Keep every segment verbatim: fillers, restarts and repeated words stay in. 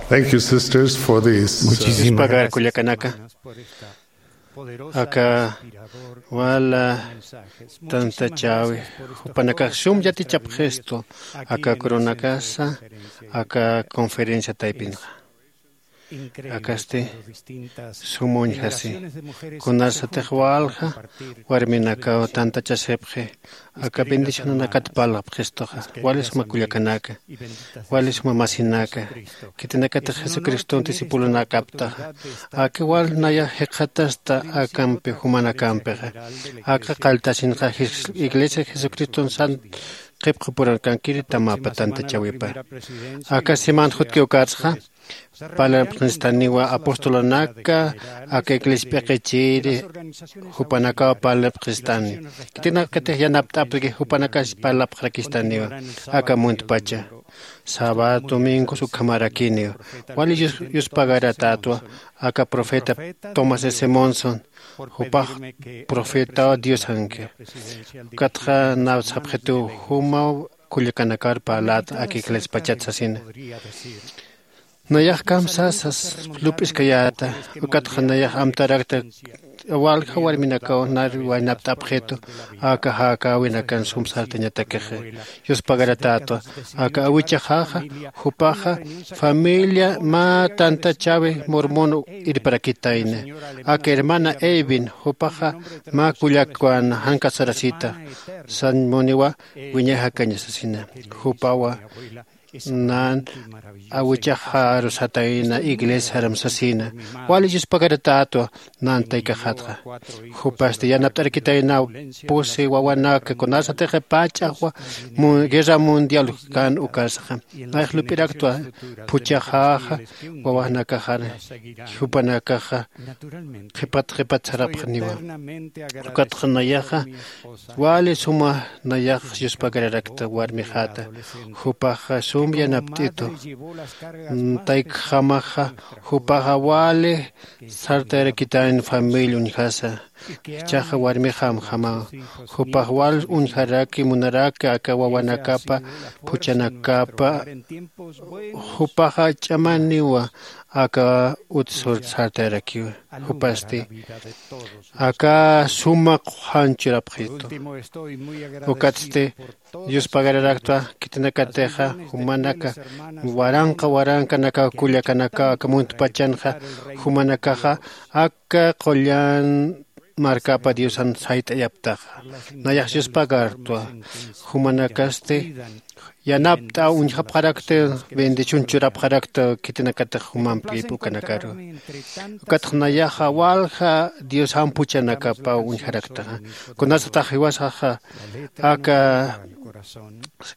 Thank you, sisters, for this. Muchísimas gracias, kullakanaka. Aka wala tantachäwi jupanakax sum yatichapxistu aka kurunakasa aka conferencia taypinxa. Akasti sum uñjasi kunasatix walja warminakaw tantachasipxi aka bendicionanakat parlapxistuxa. Wali suma kullakanaka, wali suma masinaka, khitinakatix jesucriston discipulonakaptaxa. Aka wal nayax jikxatasta akampi jumanakampixa. Aka qalltasinxa iglesia jesucriston san qhipxupurakankiri tamapa tantachäwipa. Aka siman jutki ukatsxa parlanipxistaniwa apostolonaka aka iglesia p'iqichiri jupanakaw parlanipxistani. Khitinakatix yanapt'apki jupanakas parlapxarakistaniwa aka muntpacha. Sabado domingos ukhamarakiniwa. Wali yuspagaratätwa aka profeta tomás s monson. Jupax profetaw diosanki. Ukatxa naw sapxituw jumaw kullakanakar parläta aka iglesiapachat sasina. Nayax kamsasas lup'iskayäta. Ukatxa nayax amtarakta walja warminakaw nar waynapt'apxitu aka jakäwinakan sum sartañatakixi. Yuspagaratätwa aka awichaxaxa jupaxa familia mä tantachäwi mormon irparakitayna. Aka hermana evin jupaxa mä kullakwan jankasarasita. Sañ muniwa wiñay jakaña sasina. Jupawa nan awichaxaru satayna iglesiaram sasina. Wali yuspagaratätwa nan taykaxatxa. Jupasti yanapt'arakitaynaw pusi wawanaka kunasatixa pach'axwa guerra mundial kan ukasaxa. Nayax lup'iraktwa phuchhaxaxa wawanakaxar jupanakaxa qhipat qhipat sarapxaniwa. Ukatxa nayaxa wali suma nayax yuspagararakta warmixata. Jupaxa sum yanapt'itu taykjamaxa jupaxa wali sartayarakitan familia uñjasa. Jichhaxa warmixamjamaw jupax wal uñjaraki munaraki aka wawanakapa phuchhanakapa. Jupaxa ch'amaniwa aka utsur sartayarakiwa. Jupasti aka suma q'uxan churapxitu. Ukatsti yuspagararakta khitinakatixa jumanaka waranqa warankanakaw kullakanakaw aka muntpachanxa jumanakaxa aka qullan markapa diosan sayt'ayaptaxa. Nayax yuspagartwa jumanakasti yanapt'a uñjapxarakta bendición churapxarakta khitinakatix jumampi p'ukanakaru. Ukatxa nayaxa walja diosan phuchhanakapaw uñjaraktaxa. Kunasatax jiwasaxa aka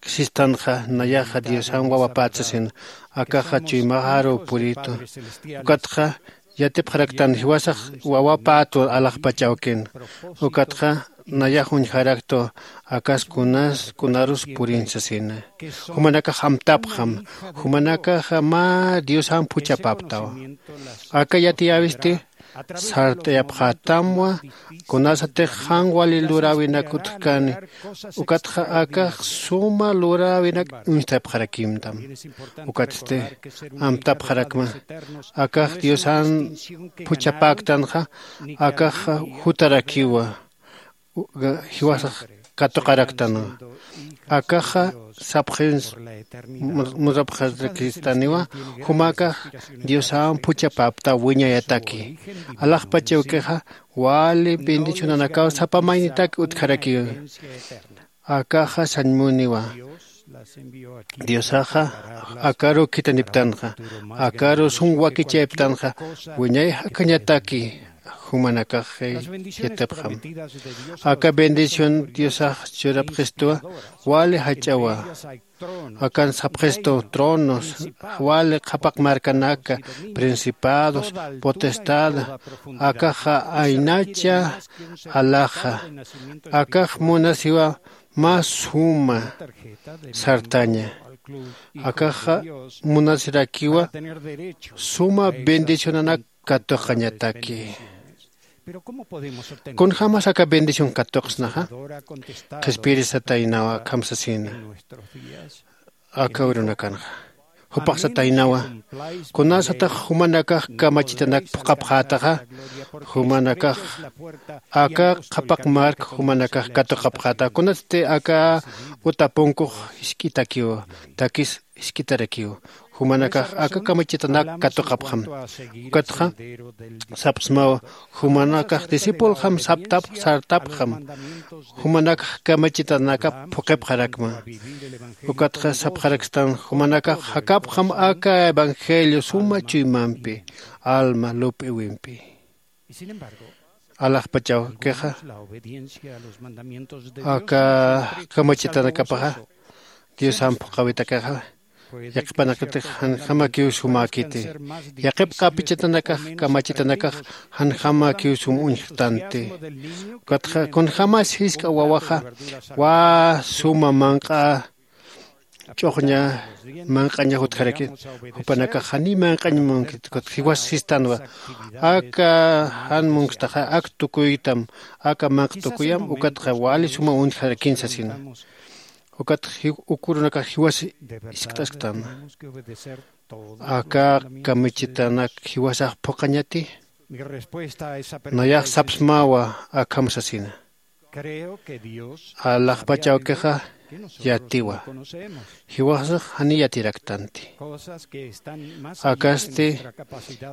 sistanxa nayaxa diosan wawapät sasin akaxa chuymaxaru puritu. Ukatxa yatipxaraktan jiwasax wawapät alaxpach awkin. Ukatxa nayax uñjaraktu akas kunas kunarus purin sasina. Jumanakax amtapxam jumanakaxa mä diosan phuchhapäptawa. Aka yatiyäwisti sart'ayapxätamwa kunasatix jan wali luräwinak utjkani. Ukatxa akax suma luräwinak uñstapxarakimtam. Ukatsti amtapxarakma akax diosan phuchhapäktanxa akax jutarakiwa. Jiwasax katuqaraktanwa akaxa sapxins murapxarakistaniwa. Jumakax diosan phuchhapäpta wiñayataki alaxpach awkixa wali bendicionanakaw sapa maynitak utjarakiwa. Akaxa sañmuniwa diosaxa akaru khitiniptanxa akaru sum wakichayptanxa wiñay jakañataki jumanakaxi yatipxam. Aka bendición diosax churapxistuwa wali jach'awa. Akan sapxistu tronos wali qhapaq markanaka principados potestada akaxa aynacha alaxa. Akax munasiwa mä suma sartaña. Akaxa munasirakiwa suma bendicionanak katuqañataki. Kunjämas aka bendición katuqsnaxa qhispirisataynawa akham sasina. Aka urunakanxa Jupax sataynawa, kunasatix jumanakax kamachitanak phuqhapxätaxa, jumanakax aka qhapaq mark jumanakax katuqapxäta, kunatsti aka uta punkux jisk'itakiw, takis jisk'itarakiw, jumanakax aka kamachitanak katuqapxam. Ukatxa sapxsmawa, jumanakax discipulxam saptap sartapxam, jumanakax kamachitanakap phuqhipxarakma. Ukatxa sapxarakstan, jumanakax jakapxam aka evangelio suma chuymampi, alma lup'iwimpi. Alaxpachawkixa aka kamachitanakapaxa diosamp phuqhawitakixa, yaqhipanakatix janjamakiw sumäkiti. Yaqhip q'apichatanakax kamachitanakax janjamakiw sum uñjtanti. Ukatxa kunjämas jisk'a wawaxa wä suma manq'a ch'uxña manq'añax utjaraki, jupanakax janiy manq'añ munkit ukat jiwas sistanwa. Aka jan munkstaxa ak tukuytam, aka manq tukuyam ukatxa wali suma uñjarakin sasina. Ukat ukurunakax jiwas jiskt'asktan, aka kamichitanak jiwasax phuqhañati? Nayax sapsmawa akham sasina. Alaxpachawkixa yatiwa, jiwasax janiy yatiraktanti. Akasti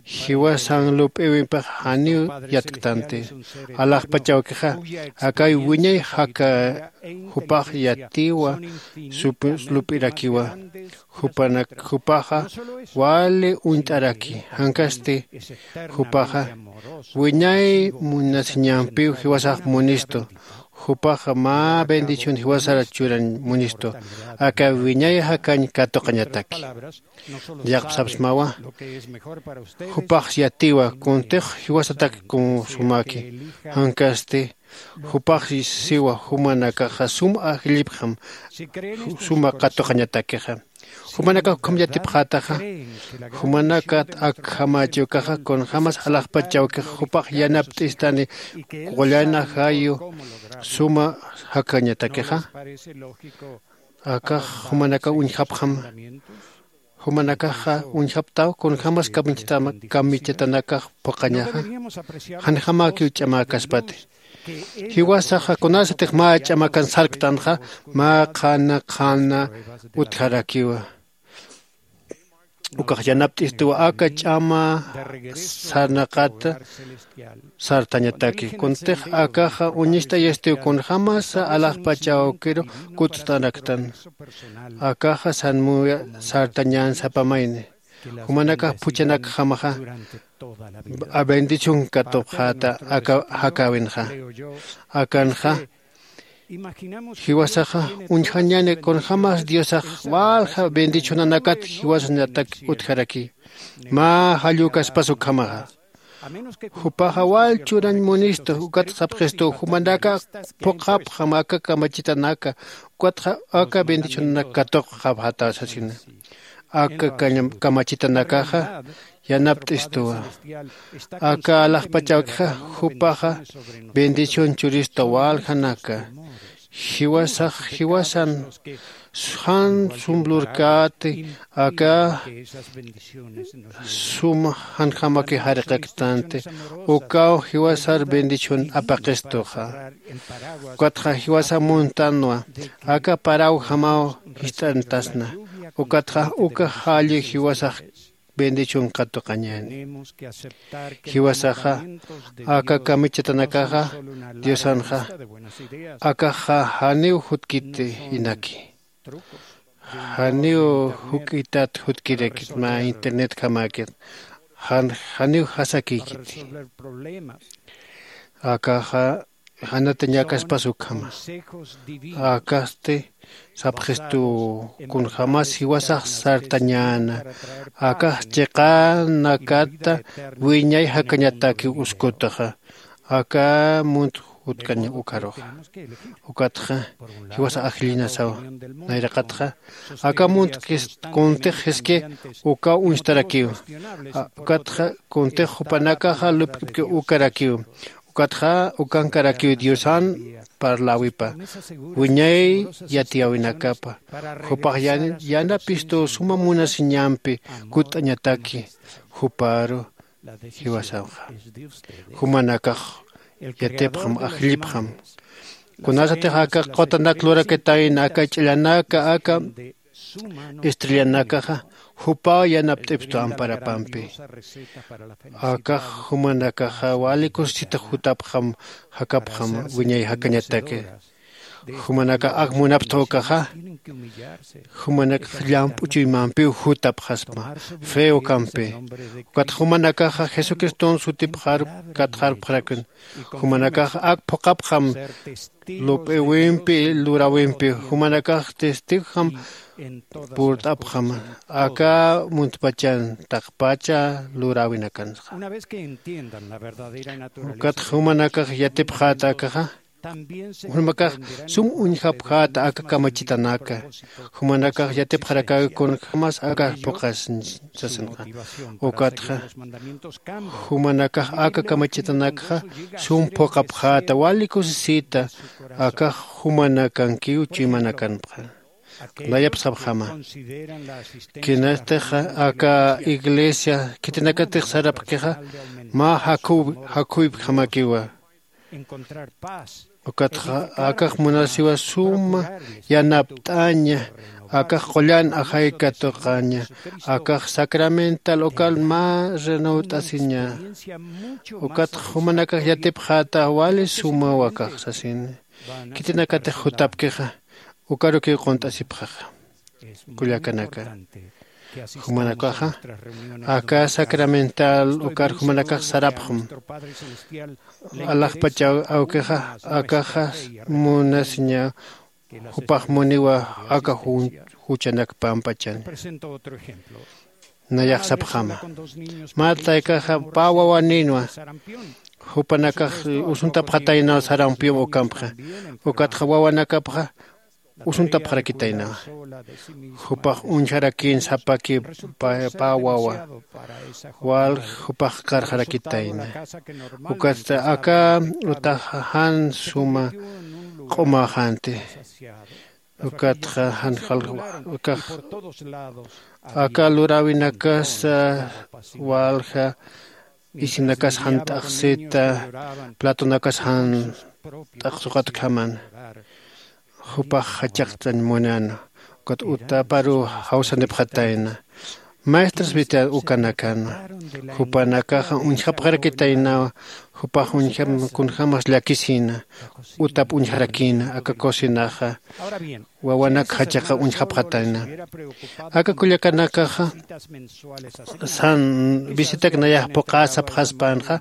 jiwasan lup'iwimpix janiw yatktanti. Alaxpachawkixa akay wiñay jaka jupax yatiwa, lup'irakiwa. Jupanak jupaxa wali uñt'araki, jankasti jupaxa wiñay munasiñampiw jiwasax munistu. Jupaxa mä bendición jiwasar churañ munistu, aka wiñay jakañ katuqañataki. Yaqpsapsmawa, jupax yatiwa kuntix jiwasatak kun sumaki, jankasti jupax siwa jumanakaxa sum ajllipxam suma katuqañatakixa. Jumanakax ukham yatipxätaxa, jumanakat akjamachiwkaxa kunjämas alaxpachawkix jupax yanapt'istani qullana jayu suma jakañatakixa. Akax jumanakaw uñjapxam. Jumanakaxa uñjaptaw kunjämas kamichatanakax phuqhañaxa, janjamakiw ch'amäkaspati. Jiwasaxa kunasatix mä ch'amakan sarktanxa, mä qhana qhana utjarakiwa. Ukax yanapt'istuwa aka ch'ama sarnaqata sartañataki. Kuntix akaxa uñist'ayastiw kunjämasa alaxpachawkiru kutt'araktan. Akaxa sanmuya sartañän sapamayni. Jumanakax phuchanakjamaxa bendición katupxäta aka jakäwinxa. Akanxa jiwasaxa uñjañäni kunjämas Diosax walja bendicionanakat jiwasañatak utjaraki. Mä jallukaspas ukhamaxa. Jupaxa wal churañ munistu, ukat sapxistu, jumanaka phuqhapxam aka kamachitanaka, ukatxa aka bendicionanak katuqxapxäta sasina. Aka kañam- kamachitanakaxa yanapt'istuwa. Aka alaxpachawkixa jupaxa bendición churista waljanaka. Jiwasax jiwasan jan sumblurkäti aka sum janjamaki jarqaktanti. Ukaw jiwasar bendición apaqistuxa. Ukatxa jiwasa muntanwa aka parawjamaw jist'antasna. Ukatxa uka jalli jiwasax bendición katuqañäni. Jiwasaxa aka kamichatanakaxa Diosanxa akaxa janiw jutkiti inaki. Janiw juk'itat jutkirakit mä internetjamäkit. Jan- janiw jasakïkiti. Akaxa janatañäkaspas ukhama. Akasti sapxistu kunjämas jiwasax sartañäna. Akax chiqanakata wiñay jakañatakiw uskutaxa. Aka munt jutkañ ukaruxa. Ukatxa jiwasa ajllinasawa. Nayraqatxa aka munt kuntix jiski ukaw uñstarakiw. Ukatxa kuntix jupanakaxa lup'kipki ukarakiw. Ukatxa ukankarakiw diosan parläwipa wiñay yatiyäwinakapa jupax yanapistu suma munasiñampi kutt'añataki. Juparu jiwasamxa jumanakax yatipxam ajllipxam. Kunasatix aka qutanak lurakitayna aka ch'illanaka aka estrellanakaxa jupaw yanapt'ipstu amparapampi. Akax jumanakaxa wali kusisita jutapxam jakapxam wiñay jakañataki. Jumanakax ak munapxta ukaxa jumanakax llamp'u chuymampiw jutapxaspa fe ukampi. Ukat jumanakaxa jesucriston sutipxar katxarpxarakun. Jumanakax ak phuqapxam lup'iwimpi luräwimpi jumanakax testigojam purt'apxam aka muntpachan taqpacha luräwinakanxa. Ukatxa jumanakax yatipxäta akaxa jumanakax sum uñjapjäta aka kamachitanaka. Jumanakax yatipxarakäki kunjämas aka phuqas sasinxa. Ukatxa jumanakax aka kamachitanakxa sum phuqapjäta wali kusisita akax jumanakankiw chuymanakanpxa. Nayap sapxama kinastix aka iglesia khitinakatix sarapkixa mä jakhuypjamakiwa. Ukatxa akax munasiwa suma yanapt'aña akax qullan ajay katuqaña akax sacramental ukan mä renüt'asiña. Ukatxa jumanakax yatipxäta wali sumaw akax sasini. Khitinakatix jutapkixa ukarukiw qunt'asipxaxa. Kullakanaka jumanakaxa aka sacramental ukar jumanakax sarapxam alaxpachaw awkixa akaxa munasiña jupax muniwa aka juchanak pampachani. Nayax sapxama mä taykaxa pä wawanïnwa jupanakax usuntapxataynaw sarampium ukampxa. Ukatxa wawanakapxa usuntapxarakitaynawa. Jupax uñjarakïn sapaki pä wawa walja jupax karxarakitayna. Ukatsti aka utaxa jan suma q'umäxänti. Ukatxa jan jalkax aka luräwinakasa walja isinakas jan t'axsita platonakas jan t'aqsuqatkhaman. Jupax jachaqtañ munäna ukat utaparuw jawsanipxatayna. Maestras vita ukanakanwa jupanakaxa uñjapxarakitaynawa. Jupax uñjam kunjämas llakisïna utap uñjarakïna aka cocinaxa wawanak jachaqa uñjapxatayna. Aka kullakanakaxa san visitak nayax phuqä sapxaspänxa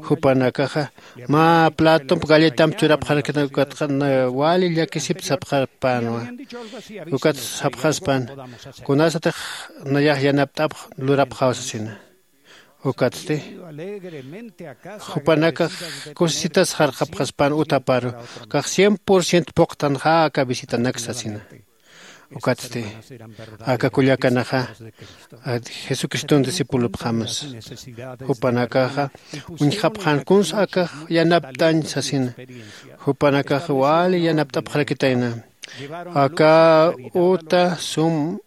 jupanakaxa mä platomp galletamp churapxarakitayna ukatxa wali llakisipta sapxarpänwa. Ukat sapxaspan kunasatix nayax yanapt'apx lurapxaw sasina. Ukatsti jupanakax kusisitas jarqapxaspän utaparu kax cien por ciento phuqtanxä aka visitanak sasina. Ukatsti aka kullakanaxa jesucriston discipulopxamsa. Jupanakaxa uñjapxän kunsa akax yanapt'añ sasina. Jupanakaxa wali yanapt'apxarakitayna aka uta sum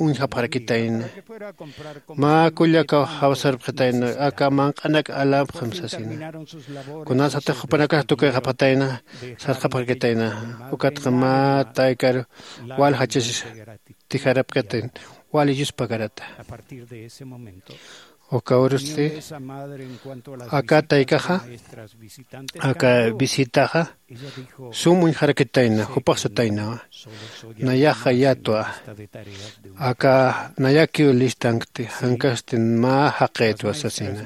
uñjapxarakitayna. Mä kullakaw jawsarpxitayna aka manq'anak alapxam sasina. Kunasatix jupanakax tukuyxapxatayna sarxapxarakitayna. Ukatxa mä taykar wal jachasisa tijarapkatayna wal yuspagarata. Uka urusti aka taykaxa aka visitaxa sum uñjarakitayna jupax sataynawa. Nayaxa yatwa aka nayakiw listankti jankasti mä jaqïtwa sasina.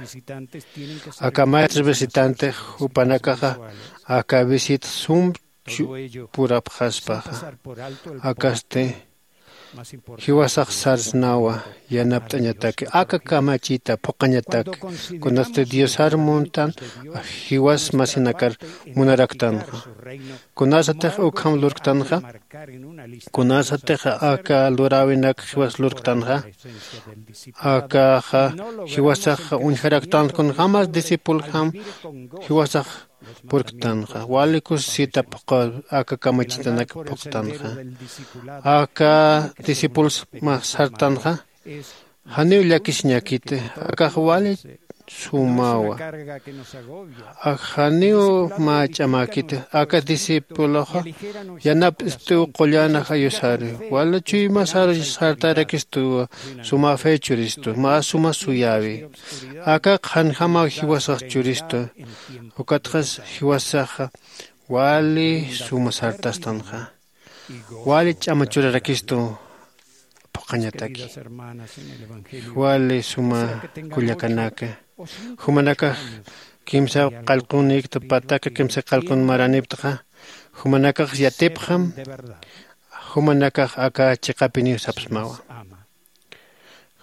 Aka maestros visitantix jupanakaxa aka visita sum purapxaspaxa akasti jiwasax sarsnawa yanapt'añataki aka kamachita phuqañataki kunasti diosar muntan jiwas masinakar munaraktanxa. Kunasatix ukham lurktanxa kunasatix aka luräwinak jiwas lurktanxa akaxa jiwasax uñjaraktanxa kunjämas discipuljam jiwasax purktanxa wali kusisita phuqha. Aka kamachitanak phuqtanxa aka discipulsma sartanxa. Janiw llakisiñakiti akax wali sumawa. Janiw mä ch'amäkiti aka discipuloxa yanapt'ist'iw qullan ajayusari wala chuymasar sartarakistuwa. Suma fe churistu mä suma suyäwi. Aka qhanjamaw jiwasax churistu ukatxa jiwasaxa wali suma sartastanxa wali ch'ama churarakistu. Phuqhañataki wali suma kullakanaka jumanakax kimsa qallqunïkta pataka kimsa qallqun maranïptxa jumanakax yatipxam. Jumanakax aka chiqapiniw sapsmawa.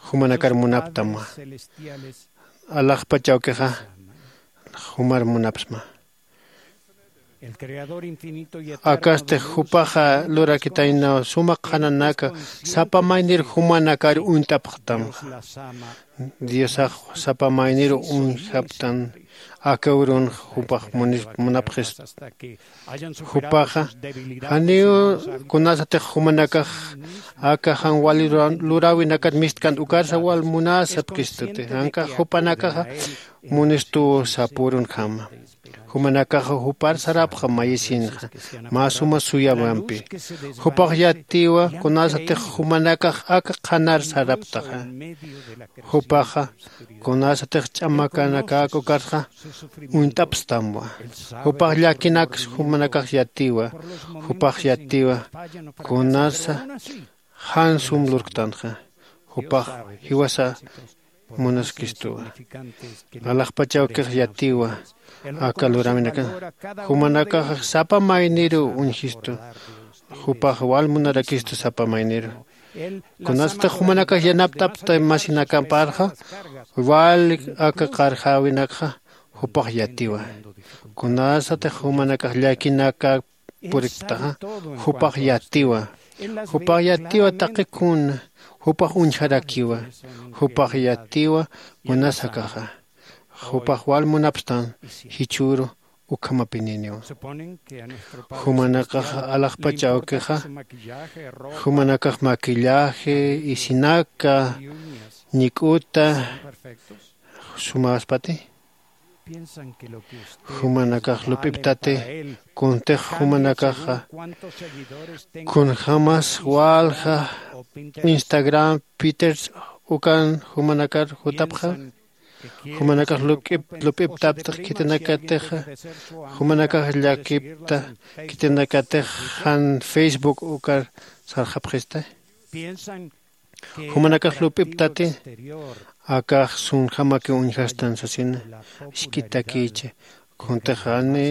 Jumanakar munaptamwa alaxpach awkixa jumar munapsma. Akasti jupaxa lurakitaynaw suma qhananaka sapa maynir jumanakar uñt'apxtamxa. Diosax sapa maynir uñjaptan aka urunxa jupax munapxista. Jupaxa janiw kunasatix jumanakax aka jan wali luräwinakat mistkant ukarsa wal munasapkistuti jankax jupanakaxa munistuw sapürunjama. Jumanakaxa jupar sarapxam mayisinxa mä suma suyamampi. Jupax yattiwa kunasatix jumanakax aka qhanar saraptaxa. Jupaxa kunasatix ch'amakanakäk ukarxa uñt'apstamwa. Jupax llakinaks jumanakax yattiwa. Jupax yattiwa kunasa jan sum lurktanxa. Jupax jiwasa munaskistuwa. Alaxpach awkix yattiwa aka luräwinakan jumanakax sapa mayniru uñjistu. Jupax wal munarakistu sapa mayniru. Kunasatix jumanakax yanapt'apta masinakaparxa wali aka qarjäwinakxa jupax yattiwa. Kunasatix jumanakax llakinaka puripktaxa jupax yattiwa. Jupax yattiwa taqi kuna jupax uñjarakiwa. Jupax yattiwa kunasakaxa jupax wal munapstan jichhüru ukhamapininiwa. Jumanakax alaxpach awkixa jumanakax maquillaje isinaka ñik'uta sumäspati. Jumanakax lup'iptati kuntix jumanakaxa kunjämas walja instagram peters ukan jumanakar jutapxä. Jumanakax lup'iptaptix khitinakatixa jumanakax llakipta khitinakatix jan facebook ukar sarxapxista. Jumanakax lup'iptati akax sunjamakiw uñjastan sasina. Isk'itakïchi kuntixani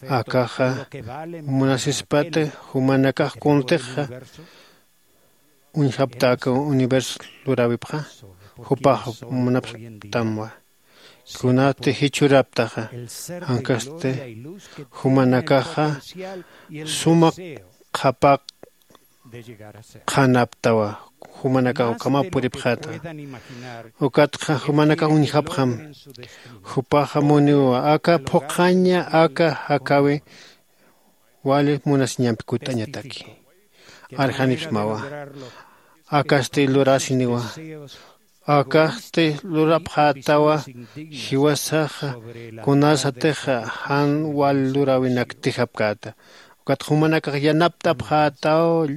akaxa munasispati jumanakax kuntixa uñjapta aka universo luräwipxa jupax munapstamwa. Kunati jichhüraptaxa jankasti jumanakaxa suma qhapaq qhanaptawa. Jumanakax ukhamaw puripxäta ukatxa jumanakax uñjapxam. Jupaxa muniwa aka phuqhaña aka jakäwi wali munasiñampi kutt'añataki. Arjanipsmawa akasti lurasiniwa. Akasti lurapxätawa jiwasaxa kunasatixa jan wal luräwinaktijapkäta. Ukat jumanakax yanapt'apxätaw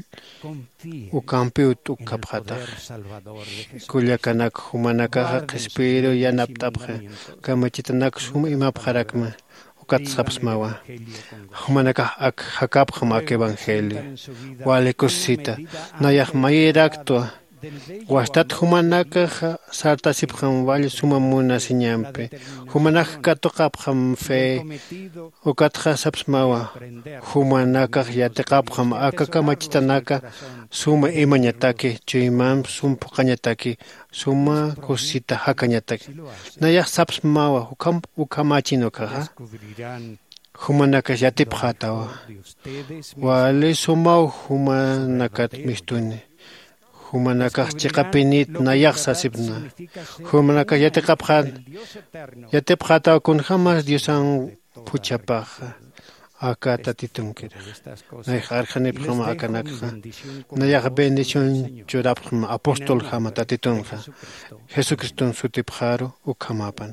ukampiw t'ukkapxätax. Kullakanak jumanakaxa qhispiyiru yanapt'apxi. Kamachitanak sum imapxarakma ukat sapsmawa. Jumanakax ak jakäpxam ak evangelio wali kusisita nayax mayiraktwa. Wastat jumanakax sartasipxam wali suma munasiñampi. Jumanak katuqapxam fe ukatxa sapsmawa. Jumanakax yatiqapxam aka kamachitanaka suma imañataki chuymamp sum phuqhañataki suma kusisita jakañataki. Nayax sapsmawa ukhamächin ukaxa. Jumanakax yatipxätawa wali sumaw jumanakat mistuni. Jumanakax chiqapinit nayax sasipna. Jumanakax yatiqapxän yatipxätaw kunjämas diosan phuchhapaxa aka tatitunkirix. Nayxa arjanipxama akanakxa nayaxa bendición churapxma apostoljama tatitunxa jesucriston sutipxaru ukhamapan.